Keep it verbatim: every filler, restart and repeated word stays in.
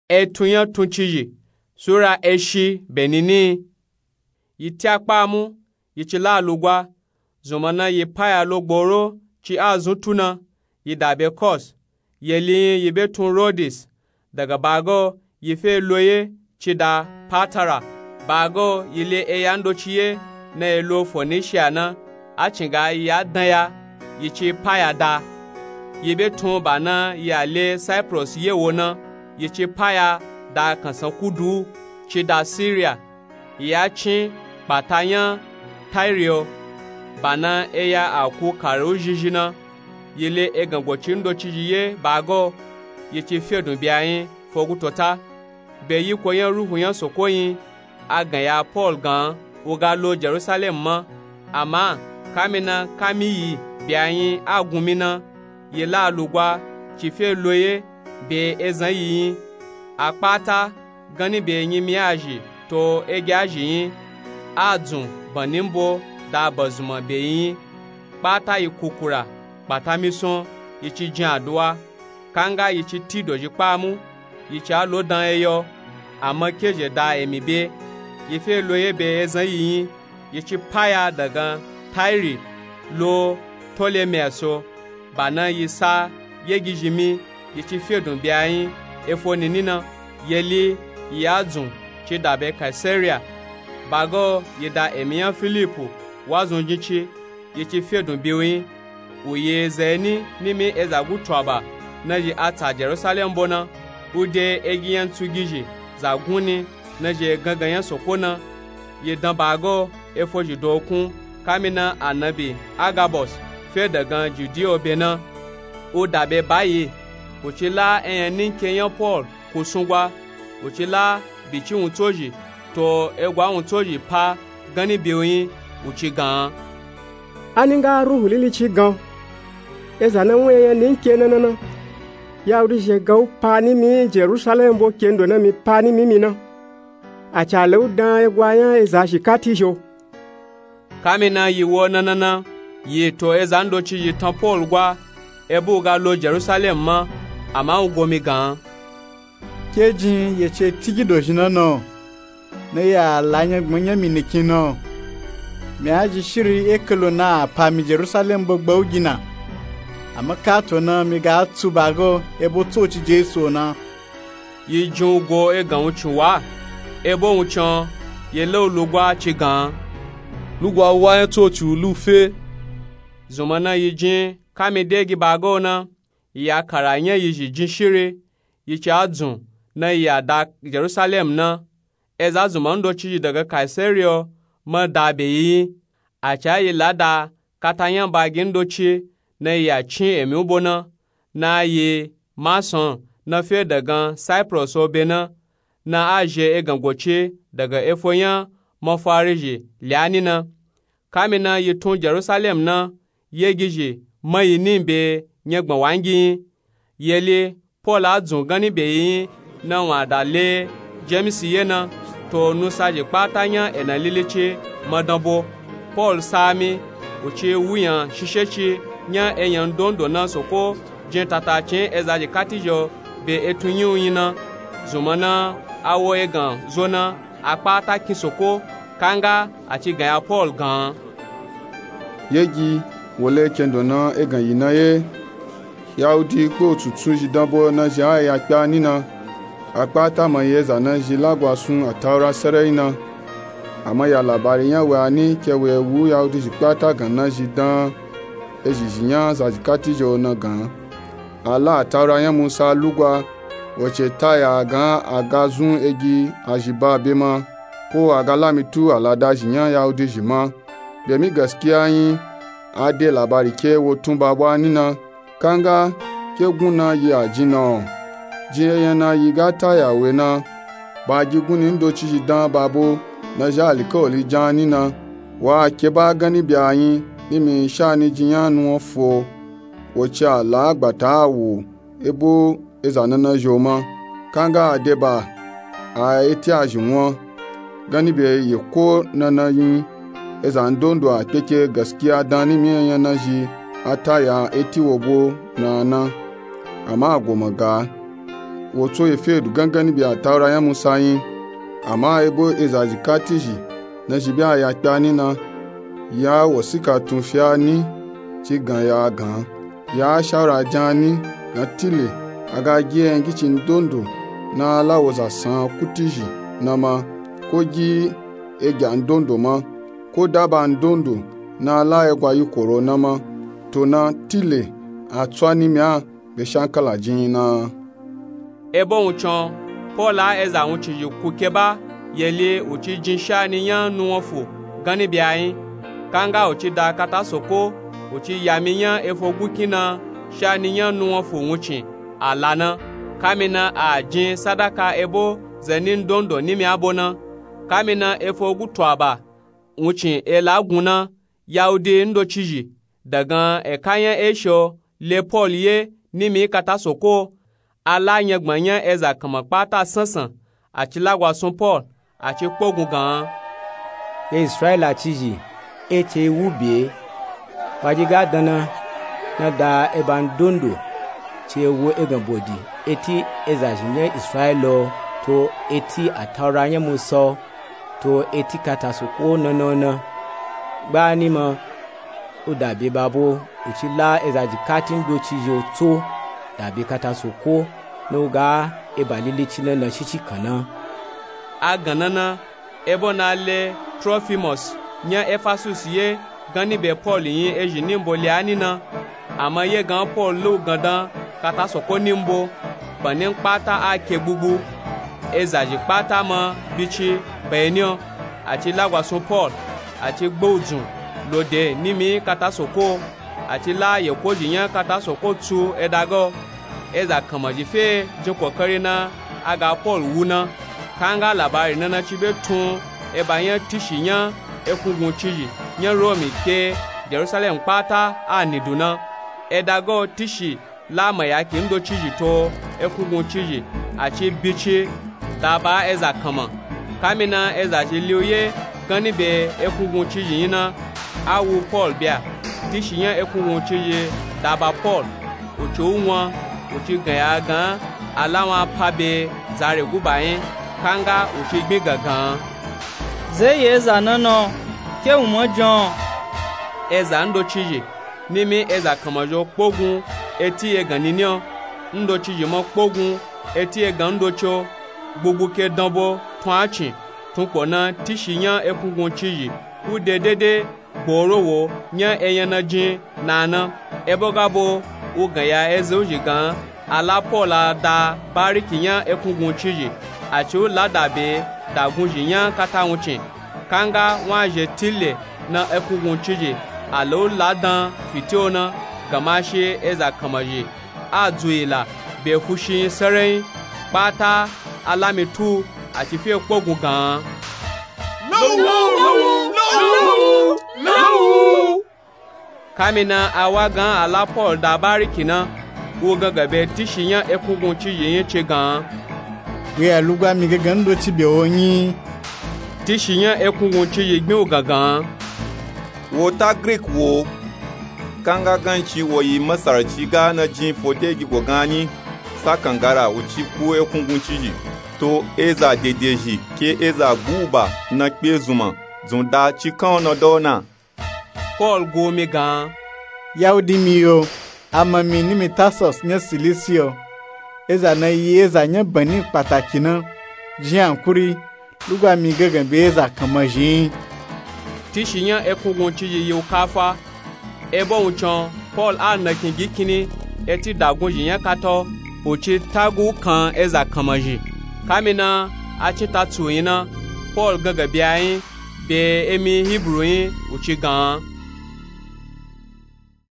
Etun nya tuncizhi sura eshi benini. Yi tya kpamu, yi ci la lugwa. Zunmana yi paya lo gboro ci azun tuna, yi da be Kos. Yeli yin yi be tun Rodis. Daga bago yi fe loye ci da Patara. Bago yi le eya ndoci ye na yi lo Fonisia na, a cinga yi a danya, yi ci paya da. Yi be tun ba na yi a le Saipros ye wo na, yi ci paya da kansan kudu ci da Siria. Yi a cin kpata nya Tairi o. Ba na eya a ku kare u zhizhi na, yi le egan goci ndocizhi ye bago, yi ci fedun byayin fo gutota. Be yiko nya Ruhu nya Soko yin, a gan ya Pol gan u ga lo Jerusalem ma. Ama kamina kami yi byayin a gun mi na, yi la lugwa ci fe loye be ezan yi yin. A kpata ganni be nyimi azhi to egi azhi yin, a dzun banni mbo da bazunma be yi yin. Kpata yi kukura kpata mison, yi ci jin aduwa. Kanga yi ci ti dozhi kpamu, yi ci a lo dan eyo, ama kezhe da emi be. Yi fe loye be ezan yi yin, yi ci paya dagan Tairi lo Ptolemaiso. Ba na yi sa yegizhi mi, yi ci fedun byayin efo nini na. Yeli yi a dzun ci da be Kaisaria. Bago yi da emi nya Filipu wa zun jin ci, yi ci fedun bi u yin. U yi zeni nimi eza gutu aba na zhi a tsa Jerusalem bo na, u de egi nya ntsugizhi za gunni na zhi gangan nya Soko na. Yi dan bago efo zhi dokun, kamina Anabi Agabos fe dagan Judiya o be na, u da be bayi. U ci la enyani nke nya Pol ku sungwa, u ci la bici wuntso zhi to egwa wuntso zhi pa ganni be u yin, u ci gan. Ani nga Ruhu Lili ci gan, eza na wun enyani nke na na na, Yahudi zhi e gan u pa nimi Jerusalem bo kendo na mi pa nimi mi na. A ca le u dan egwa nya eza zhikatizhi o. Kamina yi wo na na na, yi to eza ndocizhi tan Pol gwa, ebe u ga lo Jerusalem ma, ama u go mi gan. Ke jin ye ce tigi dozhi na na, na ya la nyagban nya mi nikin na. Mi a zhi shiri e kalo na a pa mi Jerusalem bo gba u gi na. Ama kato na mi ga tsu bago ebe u tsoci Jesu o na. Yi jin u go egan wuncin wa, ebe wuncin o yi le u lugwa ci gan. Lugwa wa nya tsoci u lu fe. Zunmana yi jin kami de gi bago na, yi a kara nya yi zhi jin shiri, yi ci a dzun na yi a da Jerusalem na. Eza zunma ndocizhi daga Kaisaria o ma da be yi yin. A ca yi la da kata nya bagi ndoci na yi a cin emi u bo na, na yi Mason na fe dagan Saipros o be na, na a zhe egan goci daga efo nya mafari zhi lyani na. Kamina yi tun Jerusalem na, yegizhi ma yi ni be nyagban wangi yin. Yeli Pol a dzun ganni be yi yin na wun a da le Jemisi ye na, to nusa zhi kpata nya ena lili ci ma dan bo. Pol sa mi, u ci wuyan shishe ci nya enyan ndondo na Soko jin tatacin eza zhikatizhi o be etun nyi u yin na. Zunmana a wo egan zo na, a kpata kin Soko, kanga a ci gan ya Pol gan. Yegi, wo le kendo na egan yi na ye. Yahudi kpe u tsuntsun zhi dan bo na zhi a ya kpe a ni na. A kpata ma yi eza na zhi lagwa sun Ataura sarai na. Ama ya labari nya we a ni ke we wu Yahudi zhi kpata gan na zhi dan ezhizhi nya zazhikatizhi o na gan. A la Ataura nya Musa lugwa, wo ce ta ya gan a ga zun egi a zhi ba be ma, ko a ga lamitu alada zhi nya Yahudi zhi ma. Be mi gaskiya yin, a de labari ke wo tun ba bwa ni na. Kanga ke gun na yi a jin na o. Jin enyana yi ga ta ya we na. Ba gi gunni ndocizhi dan ba bo na zhi alikawali jan ni na. Wa ke ba ganni be a yin, ni mi sha ni jin nya nuwan fo. Wo ce a la gbata a wo ebo eza na na zhi o ma. Kanga a de ba a eti a zhi wan. Ganni be yi ko na na yin, eza ndondo a kpeke gaskiya dan ni mi enyana zhi a ta ya eti wo bo na na. Ama a go ma ga. wo tso ye fe du gangani be Ataura nya Musa nyi. Ama ebo eza jikati zhi na zhi be a ya kpe a ni na, ya wosika tun fi a ni, ci gan ya a gan a, ya shawura jan a ni, na tile a ga gi enyagicin ndondo na a la wo za san kuti zhi na ma, ko gi egya ndondo ma, ko daba ndondo na a la egwa yi koro na ma, to na tile a tsu a nimi a be shankala jin yi na. Ebo wuncin o, Pol a eza wuncin zhi ku keba, yeli u ci jin shani nya nuwofo gani be a nyi. Kanga u ci da katasoko, u ci yami nya efo gukin na shani nya nuwofo wuncin a la na, kamina a jin sadaka ebo zani ndondo nimi a bo na. Kamina efo gutu aba wuncin e la gun na, Yahudi ndoci zhi, dagan eka nya Eshiya o le Pol ye nimi katasoko o, a la nyagban nya eza kanma kpata sansan, a ci lagwasun Pol, a ci kpogun gan a. Ye Israila cizhi, e ce yi wu bye, wa dyi ga dan na, na da eba ndondo ci e wo egan bodi eti eza zhi nya Israila o, to eti Ataura nya Musa o, to eti katasoko o na na na. Gba ni ma, u dabe babo, u ci la eza jikati ndoci zhi o tso dabe katasoko, na u ga eba lilici na na shishi kan na. A gan na na, ebo na le Trofimos nya Efasusi ye gani be Pol nyi ezhi nimbo le a ni na. Ama ye gan Pol la u gan dan katasoko nimbo, bani kpata a ke gbugbu, eza zhi kpata ma bici ba e ni o, a ci lagwasun Pol, a ci gba u dzun lo de nimi katasoko o, a ci la yeko zhi nya katasoko tsu e daga o. Eza kanma zhi fe jin kokari na a ga Pol wu na. Kanga labari na na ci be tun eba nya tishi nya ekungun cizhi nya Romi ke Jerusalem kpata a ni du na. E daga o tishi la mayaki ndoci zhi to ekungun cizhi, a ci bici da ba eza kanma. Kamina eza zhi li u ye gani be ekungun cizhi nyi na, a wu Pol bya, tishi nya ekungun cizhi da ba Pol, u ci u wan, u ci gan ya a gan a, a la wan pa be za re guba nyi, kanga u ci gbin gangan a. Ze yi eza na na o, ke u ma jan o? Eza ndoci zhi nimi eza kanma zhi o kpogun eti egan nini o, ndoci zhi ma kpogun eti egan ndoci o, gbugbu ke danbo tun a cin, tunkpo na tishi nya ekungun cizhi u de dede gboro wo nya enyana jin na na. Ebo ga bo u gan ya eza u zhi gan a, a la Pol a da bariki nya ekungun cizhi, a ci u la dabe dagun zhi nya kata wuncin. Kanga wan zhe tile na ekungun cizhi, a la u la dan fiti o na, gamashi eza kanma zhi a dzu yi la be fushi nyi sarai nyi, kpata a la mi tu, a ci fe kpogun gan a. Lawu! Lawu! Lawu! Kamina a wa gan a la Pol da bariki na, u gangan be tishi nya ekungun cizhi nyi ci gan a. Wi a lugba mi gangan ndoci bye o nyi? Tishi nya ekungun cizhi gbin u gangan a. Wo ta Grik wo. Kanga ganci wo yi Masarci ga na jin fo de gi go gan nyi, sa kangara u ci ku ekungun cizhi, to eza dede zhi ke eza guba na kpe zunma, dzun da ci kan o na da o na. Pol gu mi gan a. Yahudi mi yo, ama mi nimi Tarsus nya Silisi o. Eza na yi eza nya bani kpataki na. Jin ankuri, lugba mi gangan be eza kanma zhi nyi? Tishi nya ekungun cizhi yi u kafa. Ebo wuncin o, Pol a nakin gi kini eti dagun zhi nya kata o, u ci tagu kan eza kanma zhi. Kamina a cin ta tsu nyi na, Pol gangan bye a nyi be emi Hibru nyi, u ci gan a.